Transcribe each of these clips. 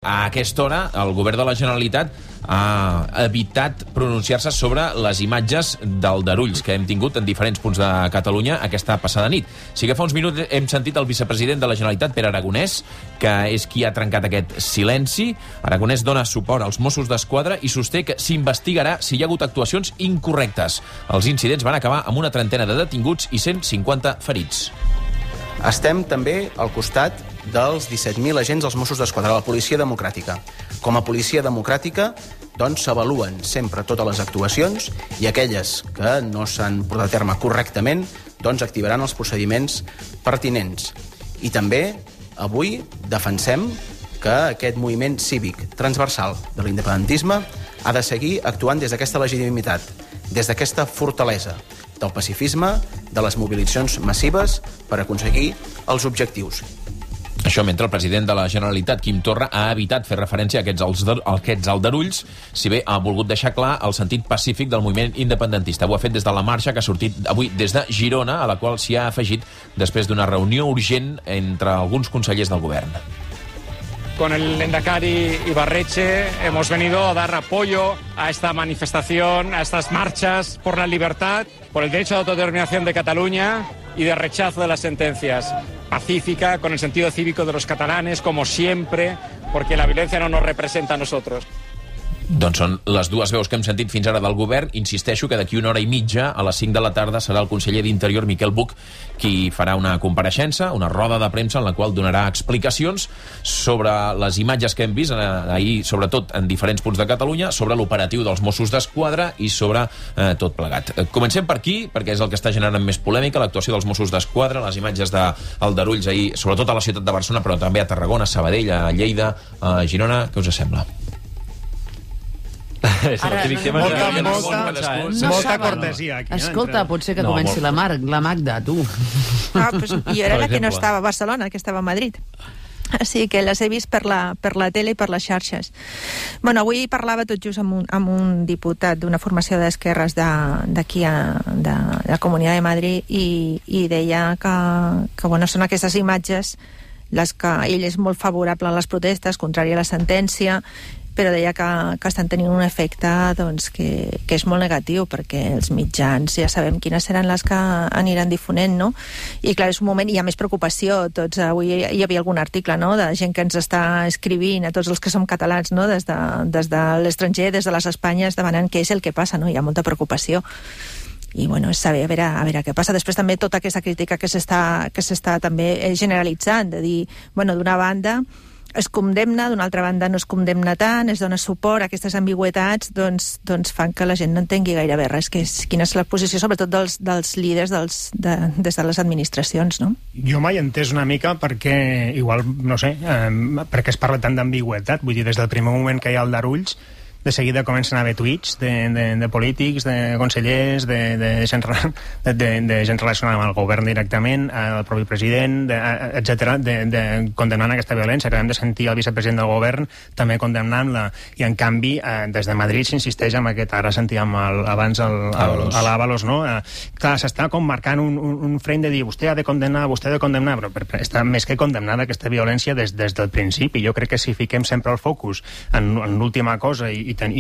A aquesta hora, el govern de la Generalitat ha evitat pronunciar-se sobre les imatges d'aldarulls que hem tingut en diferents punts de Catalunya aquesta passada nit. Sí que fa uns minuts hem sentit el vicepresident de la Generalitat, Pere Aragonès, que és qui ha trencat aquest silenci. Aragonès dona suport als Mossos d'Esquadra i sosté que s'investigarà si hi ha hagut actuacions incorrectes. Els incidents van acabar amb una trentena de detinguts i 150 ferits. Estem també al costat dels 17.000 agents dels Mossos d'Esquadra, la policia democràtica. Com a policia democràtica, doncs, s'avaluen sempre totes les actuacions i aquelles que no s'han portat a terme correctament, doncs activaran els procediments pertinents. I també, avui, defensem que aquest moviment cívic transversal de l'independentisme ha de seguir actuant des d'aquesta legitimitat, des d'aquesta fortalesa del pacifisme, de les mobilitzacions massives per aconseguir els objectius. Això mentre el president de la Generalitat, Quim Torra, ha evitat fer referència a aquests aldarulls, si bé ha volgut deixar clar el sentit pacífic del moviment independentista. Ho ha fet des de la marxa que ha sortit avui des de Girona, a la qual s'hi ha afegit després d'una reunió urgent entre alguns consellers del govern. Con el Lehendakari Ibarretxe hemos venido a dar apoyo a esta manifestación, a estas marchas por la libertad, por el derecho de autodeterminación de Cataluña y de rechazo de las sentencias. Pacífica, con el sentido cívico de los catalanes, como siempre, porque la violencia no nos representa a nosotros. Doncs són les dues veus que hem sentit fins ara del govern. Insisteixo que d'aquí una hora i mitja, a les 5 de la tarda, serà el conseller d'Interior, Miquel Buch, qui farà una compareixença, una roda de premsa en la qual donarà explicacions sobre les imatges que hem vist ahir, sobretot en diferents punts de Catalunya, sobre l'operatiu dels Mossos d'Esquadra i sobre tot plegat. Comencem per aquí, perquè és el que està generant més polèmica, l'actuació dels Mossos d'Esquadra, les imatges d'aldarulls ahir, sobretot a la ciutat de Barcelona, però també a Tarragona, a Sabadell, a Lleida, a Girona. Què us sembla? Molta cortesia aquí. Escolta, potser que comenci la Magda, tu. Pues jo era la que no estava a Barcelona, que estava a Madrid. Així que les he vist per la tele i per les xarxes. Bueno, avui parlava tot just amb un diputat d'una formació d'esquerres d'aquí, de la Comunitat de Madrid, i deia que bueno, són aquestes imatges les que ell és molt favorable a les protestes, contrari a la sentència, però deia que estan tenint un efecte doncs, que és molt negatiu, perquè els mitjans ja sabem quines seran les que aniran difonent, no? I clar, és un moment, hi ha més preocupació. Avui hi havia algun article, no?, de gent que ens està escrivint, a tots els que som catalans, no?, des de l'estranger, des de les Espanyes, demanant què és el que passa, no? Hi ha molta preocupació. I bueno, és saber a veure què passa. Després també tota aquesta crítica que s'està també generalitzant, de dir, bueno, d'una banda es condemna, d'una altra banda no es condemna tant, es dona suport a aquestes ambigüitats, doncs fan que la gent no entengui gairebé res, que és quina és la posició sobretot dels líders des de les administracions, no? Jo mai he entès una mica perquè, igual, no sé, perquè es parla tant d'ambigüetat, vull dir, des del primer moment que hi ha aldarulls, de seguida comencen a haver tuits de polítics, de consellers, de gent relacionada amb el govern directament, el propi president, etc., condemnant aquesta violència. Acabem de sentir el vicepresident del govern també condemnant-la, i en canvi des de Madrid s'insisteix en aquest, ara sentíem abans a l'Ábalos, no? Clar, s'està com marcant un frame de dir vostè ha de condemnar, però està més que condemnada aquesta violència des del principi. Jo crec que si fiquem sempre el focus en l'última cosa i en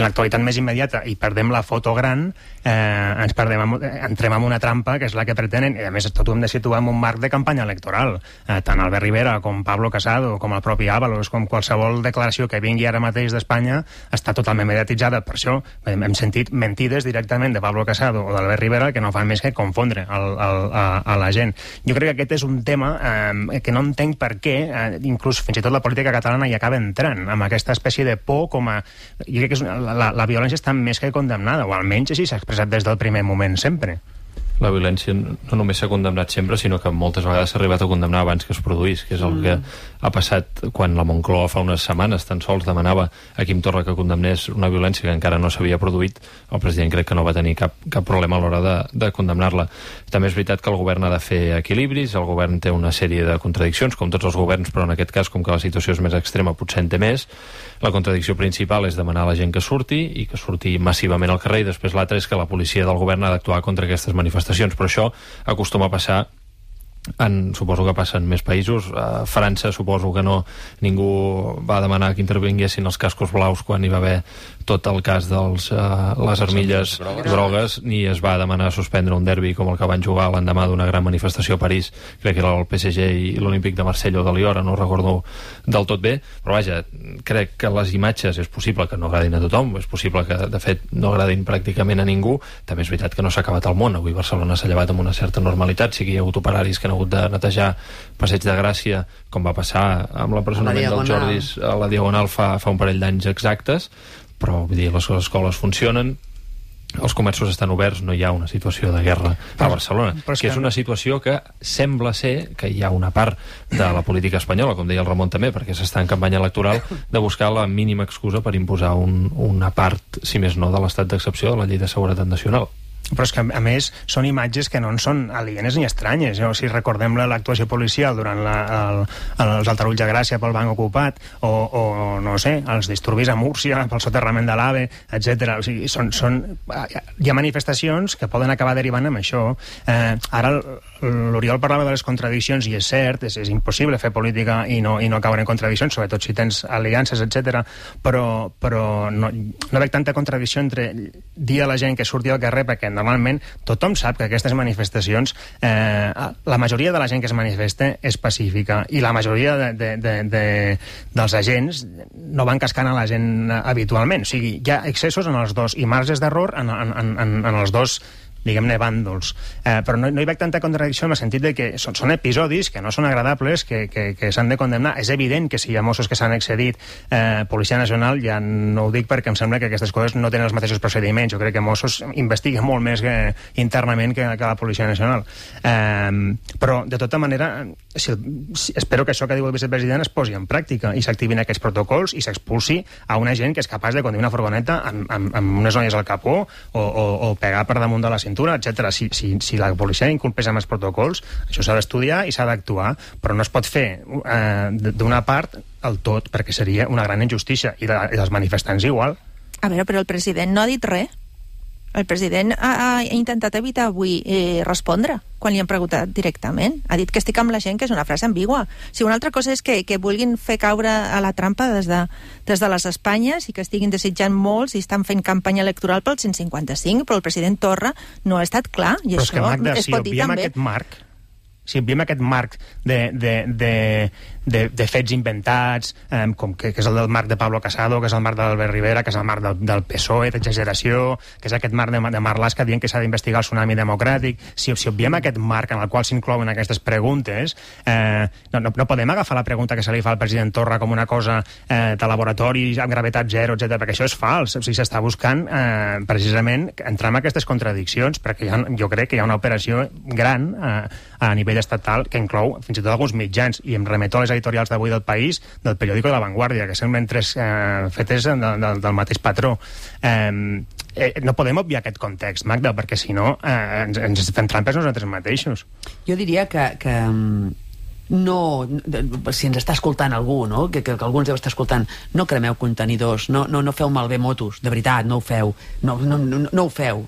l'actualitat més immediata i perdem la foto gran, entrem en una trampa que és la que pretenen, i a més tot ho hem de situar en un marc de campanya electoral. Tant Albert Rivera com Pablo Casado com el propi Ábalos, com qualsevol declaració que vingui ara mateix d'Espanya està totalment mediatitzada. Per això hem sentit mentides directament de Pablo Casado o d'Albert Rivera que no fan més que confondre a la gent. Jo crec que aquest és un tema que no entenc per què inclús fins i tot la política catalana hi acaba entrant amb aquesta espècie de por, jo crec que la violència està més que condemnada, o almenys així s'ha expressat des del primer moment sempre. La violència no només s'ha condemnat sempre, sinó que moltes vegades s'ha arribat a condemnar abans que es produís, que és el que ha passat quan la Moncloa fa unes setmanes tan sols demanava a Quim Torra que condemnés una violència que encara no s'havia produït. El president crec que no va tenir cap problema a l'hora de condemnar-la. També és veritat que el govern ha de fer equilibris, el govern té una sèrie de contradiccions, com tots els governs, però en aquest cas, com que la situació és més extrema, potser en té més. La contradicció principal és demanar a la gent que surti, i que surti massivament al carrer, i després l'altra és que la policia del govern ha d'actuar contra aquestes manifestacions. Però això acostuma a passar suposo que passa en més països. A França suposo que no, ningú va demanar que intervinguessin els cascos blaus quan hi va haver tot el cas de les armilles grogues, ni es va demanar suspendre un derbi com el que van jugar l'endemà d'una gran manifestació a París, crec que era el PSG i l'Olímpic de Marsella o de Liora, no ho recordo del tot bé, però vaja, crec que les imatges és possible que no agradin a tothom, és possible que de fet no agradin pràcticament a ningú, també és veritat que no s'ha acabat el món, avui Barcelona s'ha llevat amb una certa normalitat, sí que hi ha hagut operaris que han hagut de netejar Passeig de Gràcia, com va passar amb l'empresonament dels Jordis a la Diagonal fa un parell d'anys exactes, però vull dir, les escoles funcionen, els comerços estan oberts, no hi ha una situació de guerra a Barcelona, que és una situació que sembla ser que hi ha una part de la política espanyola, com deia el Ramon també, perquè s'està en campanya electoral, de buscar la mínima excusa per imposar una part, si més no, de l'estat d'excepció de la Llei de Seguretat Nacional. Però és que, a més, són imatges que no en són alienes ni estranyes. Si recordem l'actuació policial durant els altarulls de Gràcia pel banc ocupat, o no sé, els disturbis a Múrcia pel soterrament de l'AVE, etc. O sigui, hi ha manifestacions que poden acabar derivant amb això. Ara l'Oriol parlava de les contradiccions, i és cert, és impossible fer política i no caure en contradiccions, sobretot si tens aliances, etc. Però no veig tanta contradicció entre dir a la gent que surti al carrer, perquè normalment tothom sap que aquestes manifestacions, la majoria de la gent que es manifesta és pacífica, i la majoria dels agents no van cascant a la gent habitualment. O sigui, hi ha excessos en els dos i marges d'error en els dos, diguem-ne, bàndols. Però no hi veig tanta contradicció en el sentit de que són episodis que no són agradables, que s'han de condemnar. És evident que si hi ha Mossos que s'han excedit, Policia Nacional, ja no ho dic perquè em sembla que aquestes coses no tenen els mateixos procediments. Jo crec que Mossos investiga molt més internament que la Policia Nacional. Però, de tota manera, espero que això que diu el vicepresident es posi en pràctica i s'activin aquests protocols i s'expulsi a una gent que és capaç de conduir una furgoneta amb unes noies al capó o pegar per damunt de la cintura, etc. Si la policia inculpés amb els protocols, això s'ha d'estudiar i s'ha d'actuar, però no es pot fer d'una part el tot, perquè seria una gran injustícia, i dels manifestants igual. A veure, però el president no ha dit res. El president ha intentat evitar avui respondre quan li han preguntat directament. Ha dit que estic amb la gent, que és una frase ambigua. Si una altra cosa és que vulguin fer caure a la trampa des de les Espanyes i que estiguin desitjant molts i estan fent campanya electoral pel 155, però el president Torra no ha estat clar, i però això Magda, es pot dir també. Si obviem aquest marc de fets inventats, com que és el del marc de Pablo Casado, que és el marc d'Albert Rivera, que és el marc del PSOE, d'exageració, que és aquest marc de Marlaska dient que s'ha d'investigar el tsunami democràtic, si obviem aquest marc en el qual s'inclouen aquestes preguntes, no podem agafar la pregunta que se li fa al president Torra com una cosa de laboratori, amb gravetat zero, etc., perquè això és fals. O sigui, s'està buscant precisament entrar en aquestes contradiccions, perquè jo crec que hi ha una operació gran a nivell estatal que inclou fins i tot alguns mitjans, i em remeto a les editorials d'avui del País, del periòdico de La Vanguardia, que semblen tres fetes del mateix patró. No podem obviar aquest context, Magda, perquè si no ens fem trampes nosaltres mateixos. Jo diria que no, si ens està escoltant algú, no? que algú ens deu estar escoltant, no cremeu contenidors, no feu malbé motos, de veritat, no ho feu, no ho feu.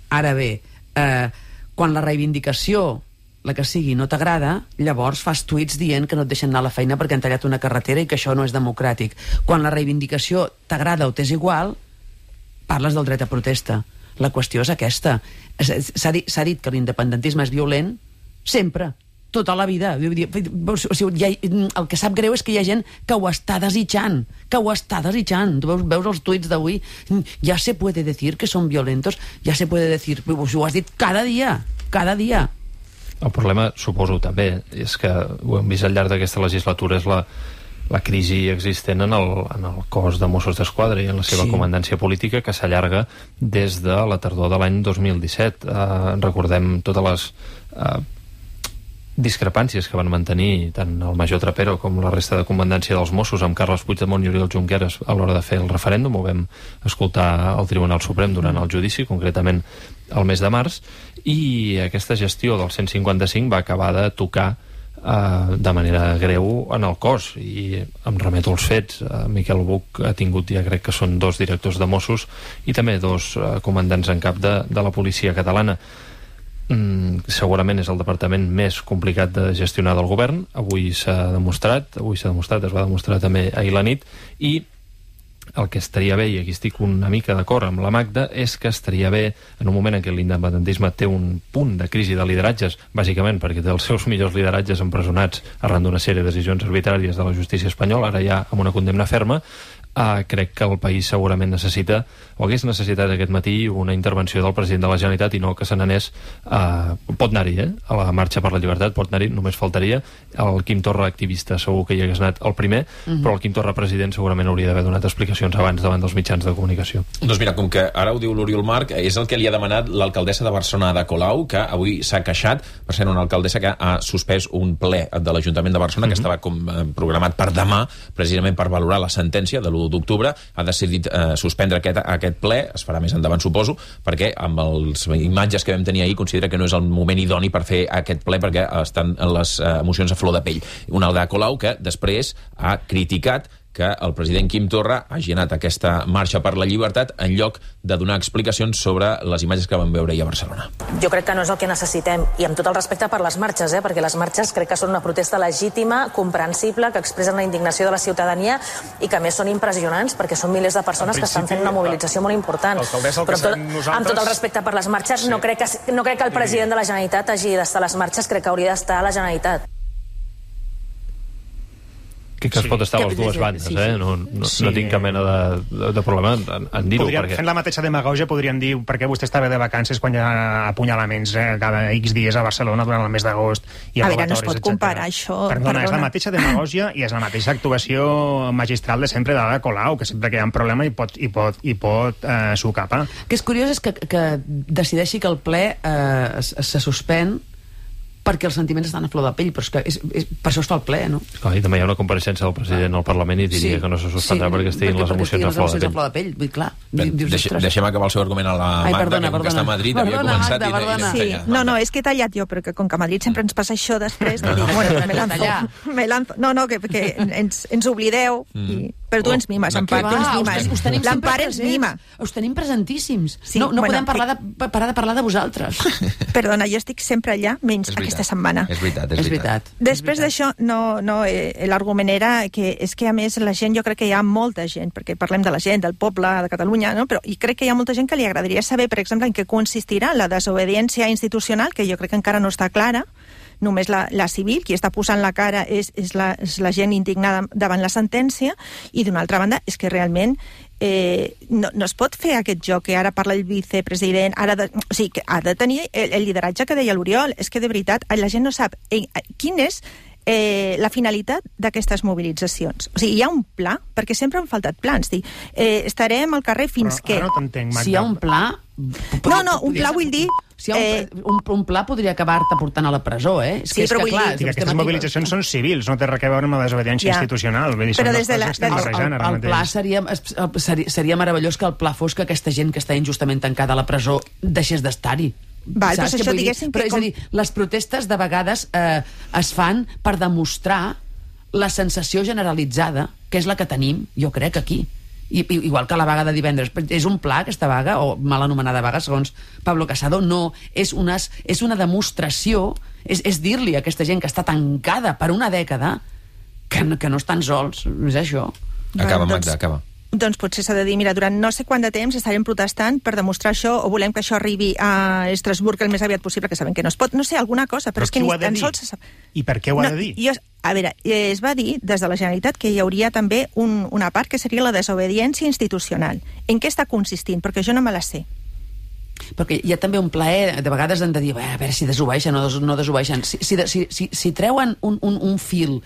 Ara bé, quan la reivindicació, la que sigui, no t'agrada, llavors fas tuits dient que no et deixen anar a la feina perquè han tallat una carretera i que això no és democràtic. Quan la reivindicació t'agrada o t'és igual, parles del dret a protesta. La qüestió és aquesta. S'ha dit que l'independentisme és violent sempre, tota la vida. O sigui, el que sap greu és que hi ha gent que ho està desitjant, Tu veus els tuits d'avui, ja se puede decir que són violentos, ja se puede decir, ho has dit cada dia. El problema, suposo, també, és que ho hem vist al llarg d'aquesta legislatura, és la crisi existent en el cos de Mossos d'Esquadra i en la seva comandància política, que s'allarga des de la tardor de l'any 2017. Recordem totes les discrepàncies que van mantenir tant el major Trapero com la resta de comandància dels Mossos amb Carles Puigdemont i Oriol Junqueras a l'hora de fer el referèndum. Ho vam escoltar al Tribunal Suprem durant el judici, concretament el mes de març, i aquesta gestió del 155 va acabar de tocar de manera greu en el cos, i em remeto als fets. Miquel Buch ha tingut, ja crec que són 2 directors de Mossos i també 2 comandants en cap de la policia catalana. segurament és el departament més complicat de gestionar del govern. Avui es va demostrar també ahir la nit, i el que estaria bé, i aquí estic una mica d'acord amb la Magda, és que estaria bé, en un moment en què l'independentisme té un punt de crisi de lideratges, bàsicament perquè té els seus millors lideratges empresonats arran d'una sèrie de decisions arbitràries de la justícia espanyola, ara ja amb una condemna ferma, crec que el país segurament necessita, o hagués necessitat aquest matí, una intervenció del president de la Generalitat, i no que se n'anés, pot anar-hi, a la marxa per la llibertat, pot anar-hi, només faltaria. El Quim Torra activista segur que hi hagués anat el primer, però el Quim Torra president segurament hauria d'haver donat explicacions abans davant dels mitjans de comunicació. Doncs mira, com que ara ho diu l'Oriol Marc, és el que li ha demanat l'alcaldessa de Barcelona, Ada Colau, que avui s'ha queixat, per ser una alcaldessa que ha suspès un ple de l'Ajuntament de Barcelona, que estava com programat per demà, precisament per valorar la sentència de l'1 d'octubre, ha decidit suspendre aquest ple, es farà més endavant suposo, perquè amb les imatges que vam tenir ahir considera que no és el moment idoni per fer aquest ple, perquè estan les emocions a flor de pell. Una Ada Colau que després ha criticat que el president Quim Torra hagi anat a aquesta marxa per la llibertat en lloc de donar explicacions sobre les imatges que vam veure ahir a Barcelona. Jo crec que no és el que necessitem, i amb tot el respecte per les marxes, perquè les marxes crec que són una protesta legítima, comprensible, que expressen la indignació de la ciutadania i que a més són impressionants perquè són milers de persones que estan fent una mobilització molt important. Però amb tot el respecte per les marxes, no crec que el president de la Generalitat hagi d'estar a les marxes, crec que hauria d'estar a la Generalitat. Que es pot estar a les dues bandes, No tinc cap mena de problema en dir-ho. Fent la mateixa demagògia podríem dir perquè vostè estava de vacances quan hi ha apunyalaments cada X dies a Barcelona durant el mes d'agost. A veure, no es pot comparar això. Perdona, és la mateixa demagògia i és la mateixa actuació magistral de sempre d'Ada Colau, que sempre que hi ha un problema hi pot s'ho capa. Que és curiós és que decideixi que el ple se suspèn perquè els sentiments estan a flor de pell, però és que per això es fa el ple, no? Clar, i també hi ha una compareixença del president al Parlament i diria que no se suspendrà perquè estiguin les emocions a flor de pell. Clar, deixem acabar el seu argument a la Magda, que com que està a Madrid havia començat i no, és que he tallat jo, però que com que a Madrid sempre ens passa això després, me lanzo. No, que ens oblideu, però tu ens mimes, Empar, tu ens mimes. L'Empar ens mima. Us tenim presentíssims. No podem parar de parlar de vosaltres. Perdona, jo estic sempre allà, menys aquesta setmana. És veritat. Després d'això, l'argument era que és que a més la gent, jo crec que hi ha molta gent, perquè parlem de la gent, del poble, de Catalunya, no? Però i crec que hi ha molta gent que li agradaria saber, per exemple, en què consistirà la desobediència institucional, que jo crec que encara no està clara, només la civil, qui està posant la cara és la gent indignada davant la sentència, i d'una altra banda és que realment no es pot fer aquest joc que ara parla el vicepresident, que ha de tenir el lideratge que deia l'Oriol. És que de veritat la gent no sap quin és la finalitat d'aquestes mobilitzacions. O sigui, hi ha un pla, perquè sempre han faltat plans. Estarem al carrer fins que... Ara no t'entenc, Magda. Si hi ha un pla... un pla vull dir... Si hi ha un pla podria acabar-te portant a la presó, Sí, però vull dir... Aquestes mobilitzacions són civils, no té res a veure amb la desobediència institucional. Però des de el pla seria meravellós que el pla fos que aquesta gent que està injustament tancada a la presó deixés d'estar-hi. Val, però això diguéssim que... Però és a dir, les protestes de vegades es fan per demostrar la sensació generalitzada, que és la que tenim, jo crec, aquí. Igual que la vaga de divendres. És un pla, aquesta vaga, o mal anomenada vaga, segons Pablo Casado, no. És una demostració, és dir-li a aquesta gent que està tancada per una dècada que no estan sols. És això. Acaba, Magda, acaba. Doncs potser s'ha de dir, mira, durant no sé quant de temps estarem protestant per demostrar això, o volem que això arribi a Estrasburg el més aviat possible, que sabem que no es pot, no sé, alguna cosa, però és que ni tan sols se sap. I per què ho ha de dir? A veure, es va dir des de la Generalitat que hi hauria també una part que seria la desobediència institucional. En què està consistint? Perquè jo no me la sé. Perquè hi ha també un plaer, de vegades han de dir a veure si desobeeixen o no desobeeixen. Si treuen un fil,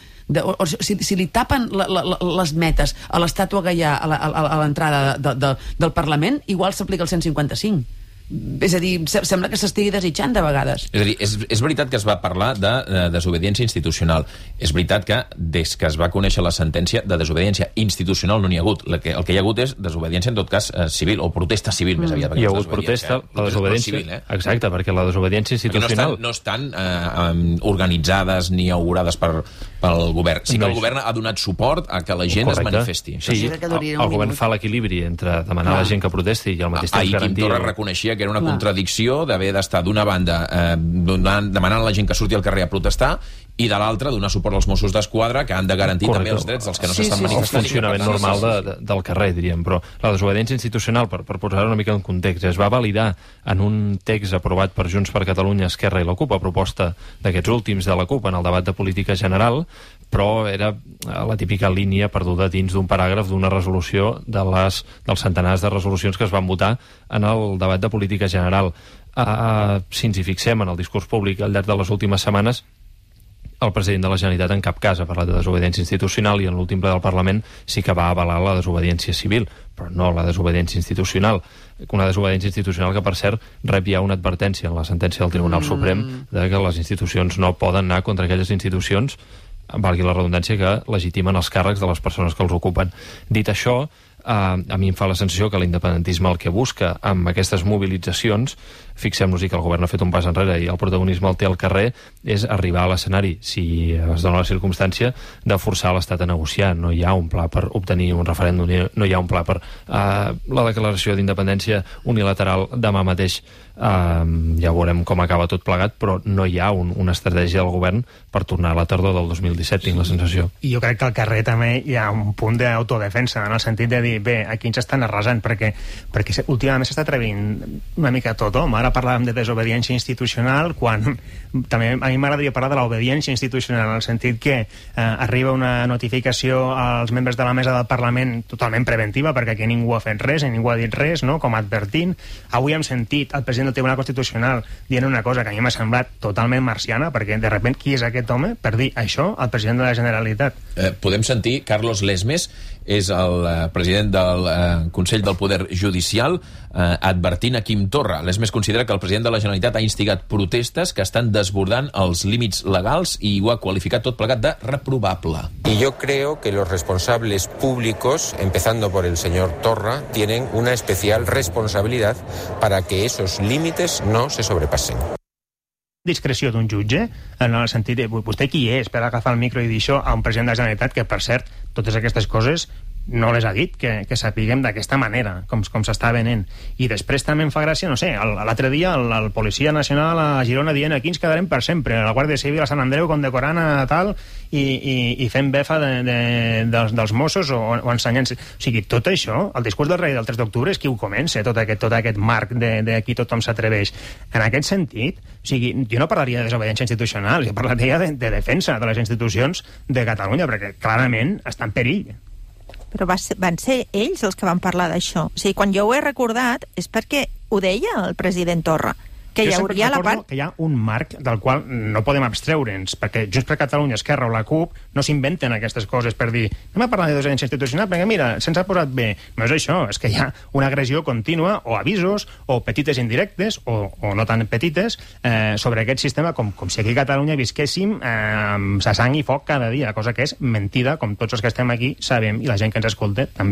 si li tapen les metes a l'estàtua Gaià a l'entrada del Parlament, igual s'aplica el 155. És a dir, sembla que s'estigui desitjant de vegades. És a dir, és veritat que es va parlar de desobediència institucional. És veritat que des que es va conèixer la sentència de desobediència institucional no n'hi ha hagut. El que hi ha hagut és desobediència, en tot cas, civil, o protesta civil, més aviat. Hi ha hagut protesta, la desobediència... Civil, Exacte, perquè la desobediència institucional... No estan organitzades ni augurades per pel govern. Sí que el govern ha donat suport a que la gent es manifesti. Sí, el govern fa l'equilibri entre demanar a la gent que protesti i al mateix temps garantir... Ahir Quim Torra reconeixia que era una contradicció d'haver d'estar d'una banda demanant a la gent que surti al carrer a protestar i de l'altra donar suport als Mossos d'Esquadra que han de garantir també els drets dels que no s'estan manifestant. El funcionament normal del carrer, diríem, però la desobediència institucional, per posar-ho una mica en context, es va validar en un text aprovat per Junts per Catalunya, Esquerra i la CUP, a proposta d'aquests últims de la CUP en el debat de política general, però era la típica línia perduda dins d'un paràgraf d'una resolució dels centenars de resolucions que es van votar en el debat de política general. Si ens hi fixem en el discurs públic al llarg de les últimes setmanes, el president de la Generalitat en cap cas ha parlat de desobediència institucional i en l'últim ple del Parlament sí que va avalar la desobediència civil, però no la desobediència institucional. Una desobediència institucional que, per cert, rep ja una advertència en la sentència del Tribunal Suprem de que les institucions no poden anar contra aquelles institucions, valgui la redundància, que legitimen els càrrecs de les persones que els ocupen. Dit això, a mi em fa la sensació que l'independentisme el que busca amb aquestes mobilitzacions, fixem-nos-hi que el govern ha fet un pas enrere i el protagonisme el té al carrer, és arribar a l'escenari, si es dona la circumstància, de forçar l'Estat a negociar. No hi ha un pla per obtenir un referèndum, no hi ha un pla per la declaració d'independència unilateral demà mateix. Ja veurem com acaba tot plegat, però no hi ha una estratègia del govern per tornar a la tardor del 2017, tinc la sensació. I jo crec que al carrer també hi ha un punt d'autodefensa, en el sentit de dir, bé, aquí ens estan arrasant, perquè últimament s'està atrevint una mica tot, home. Ara parlàvem de desobediència institucional, quan també a mi m'agradaria parlar de l'obediència institucional, en el sentit que arriba una notificació als membres de la mesa del Parlament totalment preventiva, perquè aquí ningú ha fet res i ningú ha dit res, no?, com advertint. Avui hem sentit el president del Tribunal Constitucional dient una cosa que a mi m'ha semblat totalment marciana, perquè de repente qui és aquest home per dir això al president de la Generalitat? Podem sentir Carlos Lesmes, és el president del Consell del Poder Judicial, advertint a Quim Torra. Lesmes considera que el president de la Generalitat ha instigat protestes que estan desbordant els límits legals i ho ha qualificat tot plegat de reprobable. Y yo creo que los responsables públicos, empezando por el señor Torra, tienen una especial responsabilidad para que esos límites no se sobrepasen. Discreció d'un jutge, en el sentit de vostè qui és per agafar el micro i dir això a un president de la Generalitat que, per cert, totes aquestes coses no les ha dit, que sapiguem d'aquesta manera, com s'està venent. I després també em fa gràcia, no sé, l'altre dia el Policia Nacional a Girona dient aquí ens quedarem per sempre, la Guàrdia Civil a Sant Andreu condecorant a tal i fent befa dels Mossos o ensenyant. O sigui, tot això, el discurs del rei del 3 d'octubre és qui ho comença, tot aquest marc de qui tothom s'atreveix. En aquest sentit, o sigui, jo no parlaria de desobediència institucional, jo parlaria de defensa de les institucions de Catalunya, perquè clarament està en perill. Però van ser ells els que van parlar d'això. O sigui, quan jo ho he recordat és perquè ho deia el president Torra, que hi hauria la part... que hi ha un marc del qual no podem abstreure'ns, perquè Junts per Catalunya, Esquerra o la CUP no s'inventen aquestes coses per dir anem a parlar de desobediència institucional, perquè mira, se'ns ha posat bé. No és això, és que hi ha una agressió contínua, o avisos, o petites indirectes, o no tan petites, sobre aquest sistema, com si aquí a Catalunya visquéssim sa sang i foc cada dia, cosa que és mentida, com tots els que estem aquí sabem, i la gent que ens escolta també.